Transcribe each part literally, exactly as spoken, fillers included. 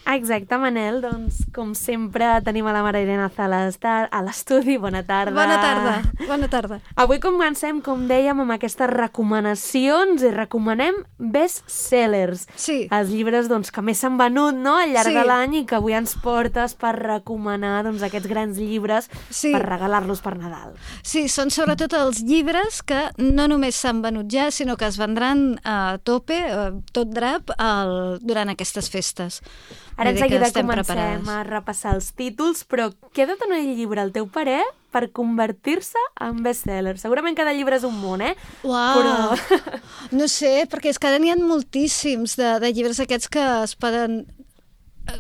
Exacte, Manel. Doncs, com sempre, tenim a la Mara Irene Zales a l'estudi. Bona tarda. Bona tarda. Bona tarda. Avui comencem, com dèiem, amb aquestes recomanacions i recomanem bestsellers. Sí. Els llibres doncs, que més s'han venut, no?, al llarg Sí. de l'any i que avui ens portes per recomanar doncs, aquests grans llibres Sí. per regalar-los per Nadal. Sí, són sobretot els llibres que no només s'han venut ja, sinó que es vendran a tope, a tot drap, al, durant aquestes festes. Ara Vull en dir que seguida estem comencem preparades. a repassar els títols, però què ha de tenir el llibre, al teu parer, per convertir-se en bestseller? Segurament cada llibre és un món, eh? Uau! Però... No sé, perquè és que ara n'hi ha moltíssims de, de llibres aquests que es poden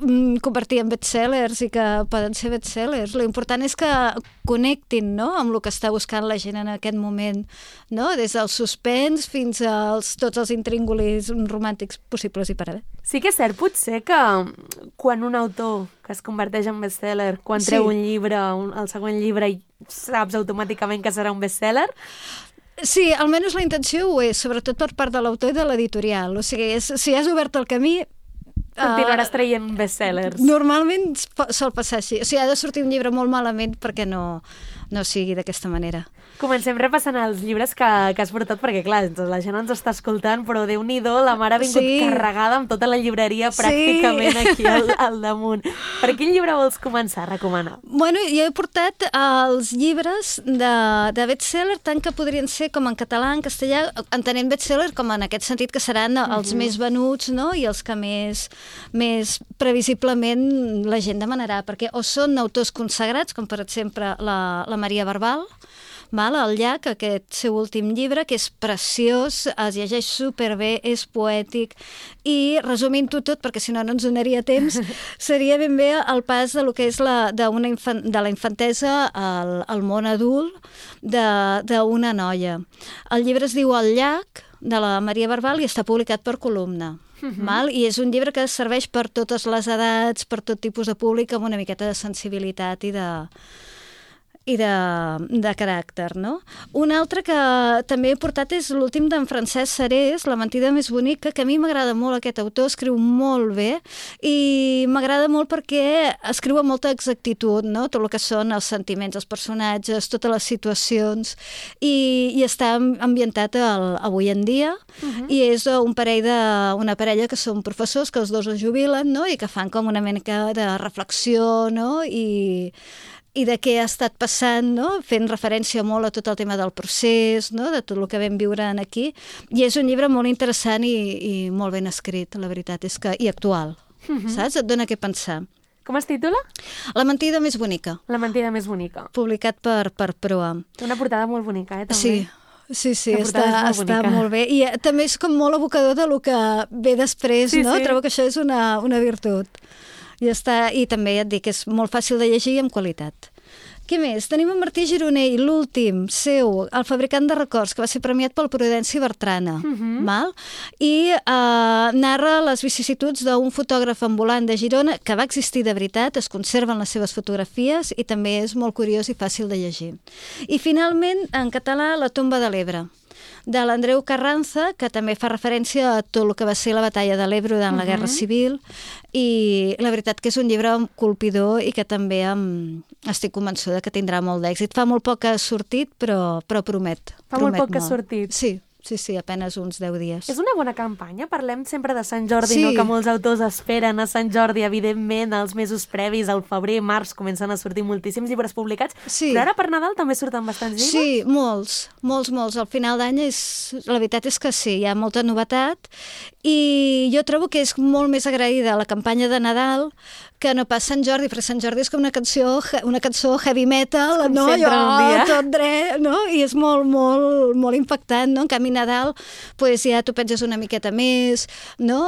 mm, convertir en bestsellers i que poden ser bestsellers. Lo important és que connectin, no?, amb el que està buscant la gent en aquest moment, no?, des del suspens fins als tots els intríngulis romàntics possibles i per haver. Sí que és cert, potser que quan un autor que es converteix en bestseller, quan Sí. treu un llibre, un, el següent llibre, i saps automàticament que serà un bestseller, Sí, almenys la intenció ho és, sobretot per part de l'autor i de l'editorial. O sigui, és, si has obert el camí... continuaràs Uh, traient bestsellers. normalment po- sol passar així. O sigui, ha de sortir un llibre molt malament perquè no, no sigui d'aquesta manera. Comencem repassant els llibres que, que has portat, perquè clar, doncs la gent ens està escoltant, però Déu-n'hi-do, la mare ha vingut Sí. carregada amb tota la llibreria Sí. pràcticament aquí al, al damunt. Per quin llibre vols començar a recomanar? Bueno, jo he portat els llibres de, de bestseller, tant que podrien ser com en català, en castellà, entenent bestseller com en aquest sentit que seran els Mhm. més venuts, no?, i els que més, més previsiblement la gent demanarà, perquè o són autors consagrats, com per exemple la, la Maria Barbal, val? El llac, aquest seu últim llibre, que és preciós, es llegeix superbé, és poètic, i resumint-ho tot, perquè si no no ens donaria temps, seria ben bé el pas de lo que és la, de, una infan, de la infantesa al, al món adult d'una noia. El llibre es diu El llac, de la Maria Barbal, i està publicat per Columna. Mhm. Val? I és un llibre que serveix per totes les edats, per tot tipus de públic, amb una miqueta de sensibilitat i de, i de, de caràcter, no? Un altre que també he portat és l'últim d'en Francesc Sarés, La mentida més bonica, que a mi m'agrada molt aquest autor, escriu molt bé i m'agrada molt perquè escriu amb molta exactitud, no?, tot el que són els sentiments dels personatges, totes les situacions, i, i està ambientat al, avui en dia, Mhm. i és un parell de, una parella que són professors, que els dos es jubilen, no?, i que fan com una mica de reflexió, no?, i i de què ha estat passant, no?, fent referència molt a tot el tema del procés, no?, de tot el que vam viure aquí. I és un llibre molt interessant i, i molt ben escrit, la veritat, és que, i actual, Mhm. saps? Et dona què pensar. Com es titula? La mentida més bonica, La mentida més bonica. publicat per, per Proa. Té una portada molt bonica, eh, també. Sí, sí, sí, La portada està, és molt està bonica. molt bé. I eh, també és com molt evocador de lo que ve després, Sí, no? sí. Trobo que això és una, una virtut. I, està, I també et dic, és molt fàcil de llegir i amb qualitat. Què més? Tenim en Martí Gironell, l'últim seu, El fabricant de records, que va ser premiat pel Prudència Bertrana, Mhm. val? I eh, narra les vicissituds d'un fotògraf ambulant de Girona, que va existir de veritat, es conserven les seves fotografies i també és molt curiós i fàcil de llegir. I finalment, en català, La tomba de l'Ebre, de l'Andreu Carranza, que també fa referència a tot el que va ser la batalla de l'Ebre durant la Guerra Mhm. Civil, i la veritat que és un llibre colpidor i que també em, estic convençuda que tindrà molt d'èxit. Fa molt poc que ha sortit, però, però promet. Fa molt promet poc que ha sortit. Sí, sí, sí, apenas uns deu dies. És una bona campanya. Parlem sempre de Sant Jordi, Sí. no? Que molts autors esperen a Sant Jordi, evidentment, els mesos previs, al febrer, març, comencen a sortir moltíssims llibres publicats, Sí. però ara per Nadal també surten bastants llibres. Sí, molts, molts, molts. Al final d'any, és, la veritat és que sí, hi ha molta novetat i jo trobo que és molt més agraïda la campanya de Nadal que no pas Sant Jordi, perquè Sant Jordi és com una cançó, una cançó heavy metal, no? concentra Allò, un dia. tot dret, no? I és molt, molt, molt impactant, no? En canvi, Nadal, pues, ja t'ho penses una miqueta més, no?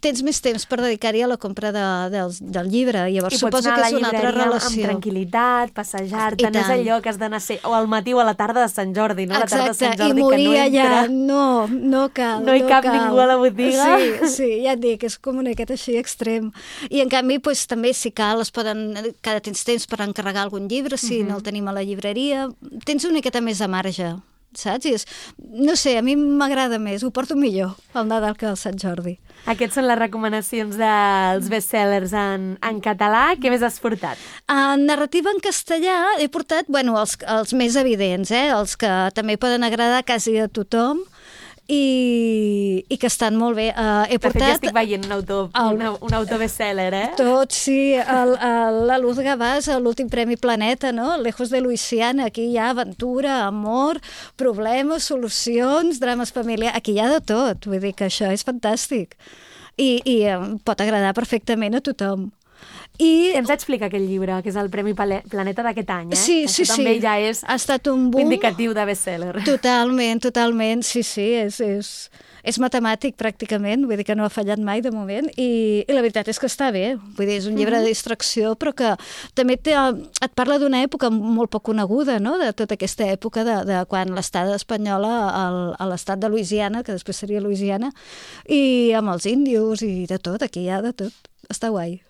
Tens més temps per dedicar-hi a la compra de, del, del llibre, llavors I pots suposo anar que a és la una altra llibreria amb relació. tranquil·litat, passejar-te, I no és tant. allò que has d'anar a ser o al matí o a la tarda de Sant Jordi, no? La tarda de Sant Exacte, Jordi i morir que no entra. allà, no, no cal. No hi cap cal. ningú a la botiga. Sí, sí, ja et dic, és com una miqueta així extrem. I en canvi, pues, també si cal, es poden, cada tens temps per encarregar algun llibre, si Mhm. no el tenim a la llibreria, tens una miqueta més de marge. saps? I és, no sé, a mi m'agrada més, ho porto millor el Nadal que el Sant Jordi. Aquests són les recomanacions dels bestsellers en, en català. Què més has portat? En narrativa en castellà he portat, bueno, els, els més evidents, eh? Els que també poden agradar quasi a tothom, I, i que estan molt bé. Uh, he de fet, portat... ja estic veient un autor, el... una, un autor bestseller, eh? Tot, sí. El, el, la Luz Gavàs, l'últim Premi Planeta, no? Lejos de Luisiana. Aquí hi ha aventura, amor, problemes, solucions, drames familiars. Aquí hi ha de tot. Vull dir que això és fantàstic. I, i um, pot agradar perfectament a tothom. I... Ens explica aquest llibre, que és el Premi Planeta d'aquest any, eh? Sí, que sí, sí. també ja és ha estat un boom. Indicatiu de bestseller. Totalment, totalment, sí, sí, és, és, és matemàtic pràcticament, vull dir que no ha fallat mai de moment, i, i la veritat és que està bé, vull dir, és un llibre mm-hmm. de distracció, però que també té, et parla d'una època molt poc coneguda, no?, de tota aquesta època de, de quan l'estada espanyola al, a l'estat de Louisiana, que després seria Louisiana, i amb els índios i de tot, aquí hi ha de tot, està guai.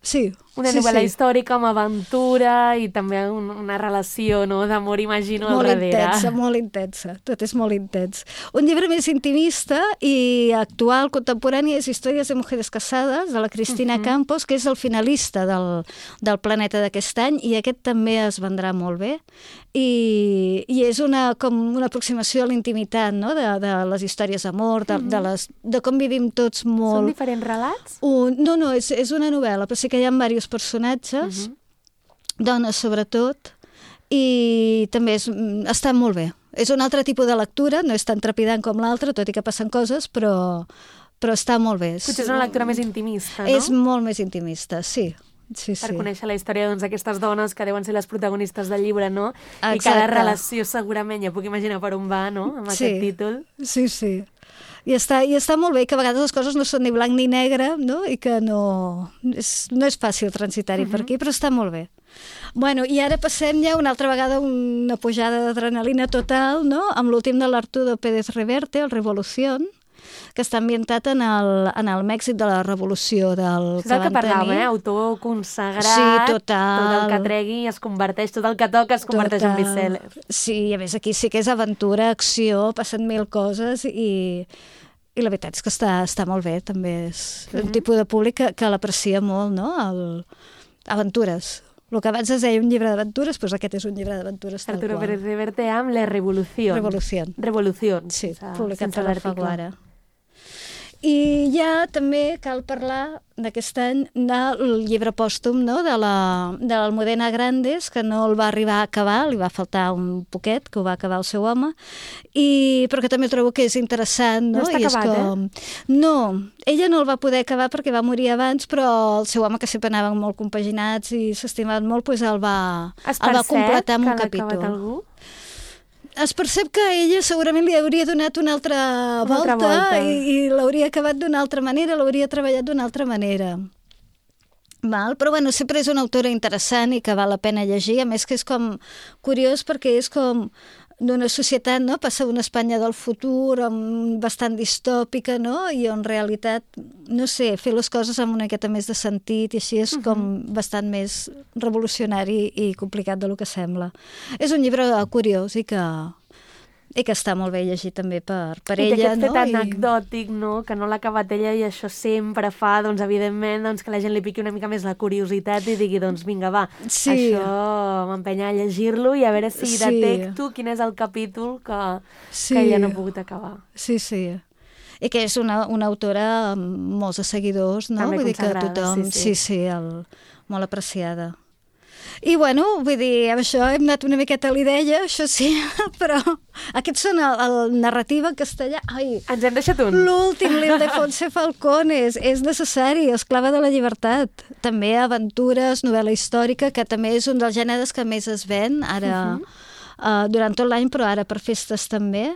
Sí, una sí, novel·la sí. històrica amb aventura i també un, una relació, no?, d'amor, imagino, al molt darrere. Molt intensa, molt intensa. Tot és molt intens. Un llibre més intimista i actual, contemporani, és Històries de mujeres casades, de la Cristina uh-huh. Campos, que és el finalista del, del Planeta d'aquest any, i aquest també es vendrà molt bé. I, i és una, com una aproximació a la intimitat, no?, de, de les històries d'amor, de, uh-huh. de, les, de com vivim tots molt... Són diferents relats? Un, no, no, és, és una novel·la, però sí que hi ha diversos personatges, uh-huh. dones sobretot, i també és, està molt bé. És un altre tipus de lectura, no és tan trepidant com l'altre, tot i que passen coses, però, però està molt bé. Potser és una lectura més intimista, no? És molt més intimista, sí. Sí, per sí. conèixer la història d'aquestes doncs, dones que deuen ser les protagonistes del llibre, no? Exacte. I cada relació segurament, ja puc imaginar per on va, no?, amb sí. aquest títol. Sí, sí. I està, I està molt bé, que a vegades les coses no són ni blanc ni negre, no?, i que no és, no és fàcil transitar-hi uh-huh. per aquí, però està molt bé. Bueno, i ara passem ja una altra vegada una pujada d'adrenalina total, no?, amb l'últim de l'Arturo Pérez Reverte, el Revolución, que està ambientat en el, en el Mèxic de la Revolució del és el que, que parlàvem, tenir. eh? Autor consagrat, sí, total. tot el que tregui es converteix, tot el que toca es converteix total. En best-seller. Sí, i a més aquí sí que és aventura, acció, passen mil coses i, i la veritat és que està, està molt bé, també és mm-hmm. un tipus de públic que, que l'aprecia molt, no?, el, aventures. El que abans es deia un llibre d'aventures, doncs aquest és un llibre d'aventures tal Arturo qual. Pérez Reverte amb La Revolució. Revolució. Revolució. Sí, sense, publicat sense per l'Alfaguara. I ja també cal parlar d'aquest any del llibre pòstum, no?, de la, de l'Almudena Grandes, que no el va arribar a acabar, li va faltar un poquet, que ho va acabar el seu home, i, però que també trobo que és interessant, no? No està I acabat, és com... eh? No, ella no el va poder acabar perquè va morir abans, però el seu home, que sempre anaven molt compaginats i s'estimaven molt, doncs el va, el va completar amb un capítol. Acabat algú? Es percep que ella segurament li hauria donat una altra una volta, altra volta. i, i l'hauria acabat d'una altra manera, l'hauria treballat d'una altra manera. Val? Però bueno, sempre és una autora interessant i que val la pena llegir, a més que és com curiós perquè és com d'una societat, no?, passa una Espanya del futur bastant distòpica, no?, i on en realitat, no sé, fer les coses amb una miqueta més de sentit i així és com uh-huh. bastant més revolucionari i complicat del que sembla. És un llibre curiós i que, i que està molt bé llegir també per, per I ella, no? I no? fet anecdòtic, no?, que no l'ha acabat ella i això sempre fa, doncs, evidentment, doncs, que la gent li piqui una mica més la curiositat i digui, doncs, vinga, va, sí. això m'empenya a llegir-lo i a veure si sí. detecto quin és el capítol que, sí. que ella no ha pogut acabar. Sí, sí. I que és una, una autora amb molts de seguidors, no? També vull dir que tothom, sí, sí, sí, sí el, molt apreciada. I bueno, vull dir, amb això hem anat una miqueta a l'idea, això sí, però aquests són el, el narrativa en castellà. Ai, ens hem deixat un. L'últim, l'Ildefonso Falcón, és, és necessari, Esclava de la llibertat. També aventures, novel·la històrica, que també és un dels gèneres que més es ven ara uh-huh. uh, durant tot l'any, però ara per festes també.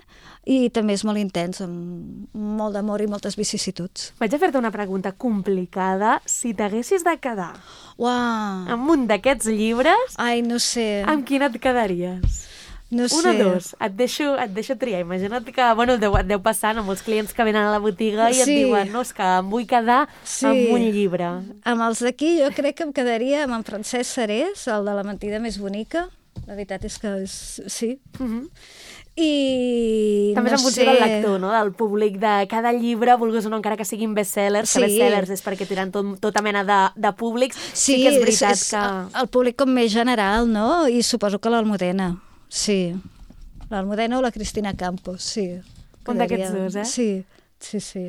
I també és molt intens, amb molt d'amor i moltes vicissituds. Vaig a fer-te una pregunta complicada. Si t'haguessis de quedar Uau. amb un d'aquests llibres, ai, no sé. amb quin et quedaries? No sé. Un o dos. Et deixo, et deixo triar. Imagina't que, bueno, et deu, et deu passar amb els clients que venen a la botiga i sí. et diuen, no, és que em vull quedar sí. amb un llibre. Amb els d'aquí jo crec que em quedaria amb en Francesc Serés, el de La mentida més bonica. La veritat és que és, sí. Uh-huh. I també no és en funció sé... del lector, no? Del públic de cada llibre, vulguis o no, encara que siguin bestsellers, Sí. que bestsellers és perquè tenen tot, tota mena de, de públics. Sí, Sí, que és veritat és, que... el públic com més general, no? I suposo que l'Almudena, sí. L'Almudena o la Cristina Campos, sí. Un d'aquests dos, eh? Sí, sí, sí.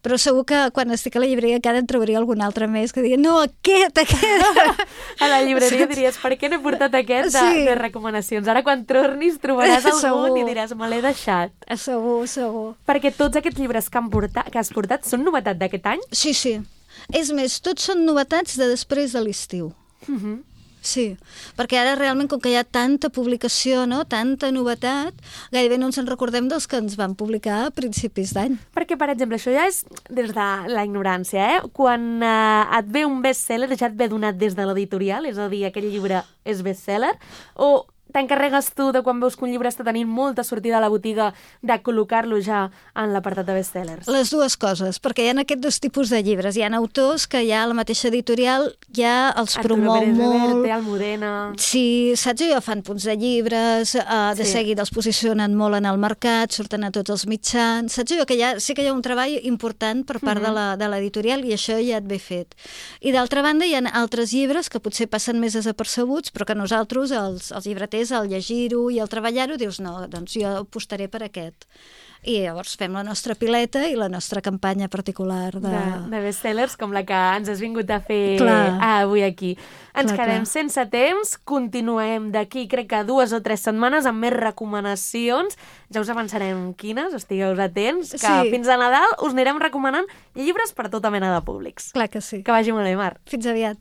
Però segur que quan estic a la llibreria encara en trobaria algun altre més que digui, no, aquest, aquest. A la llibreria diries, per què n'he portat aquest de, Sí. de recomanacions? Ara quan tornis trobaràs algun Segur. i diràs, me l'he deixat. Segur, segur. Perquè tots aquests llibres que, han portat, que has portat són novetat d'aquest any? Sí, sí. És més, tots són novetats de després de l'estiu. Uh -huh. Sí, perquè ara realment, com que hi ha tanta publicació, no? Tanta novetat, gairebé no ens en recordem dels que ens van publicar a principis d'any. Perquè, per exemple, això ja és des de la ignorància, eh? Quan eh, et ve un best-seller, ja et ve donat des de l'editorial, és a dir, aquell llibre és best-seller, o t'encarregues tu de quan veus que un llibre està tenint molta sortida a la botiga de col·locar-lo ja en l'apartat de bestsellers? Les dues coses, perquè hi ha aquests dos tipus de llibres. Hi ha autors que ja a la mateixa editorial ja els Arturo promou Pérez molt. Reverte, Almudena... Sí, saps, ja fan punts de llibres, uh, de Sí. seguida els posicionen molt en el mercat, surten a tots els mitjans, saps jo que hi ha, sí que hi ha un treball important per part de la- de l'editorial i això ja et ve fet. I d'altra banda hi ha altres llibres que potser passen més desapercebuts, però que nosaltres, els, els llibreters, al llegir-ho i al treballar-ho, dius, no, doncs jo apostaré per aquest. I llavors fem la nostra pileta i la nostra campanya particular de... de, de bestsellers com la que ens has vingut a fer Clar. avui aquí. Ens Clar, quedem clar. sense temps, continuem d'aquí crec que dues o tres setmanes amb més recomanacions, ja us avançarem quines, estigueu atents, que Sí. fins a Nadal us anirem recomanant llibres per tota mena de públics. Clar que sí. Que vagi molt bé, Mar. Fins aviat.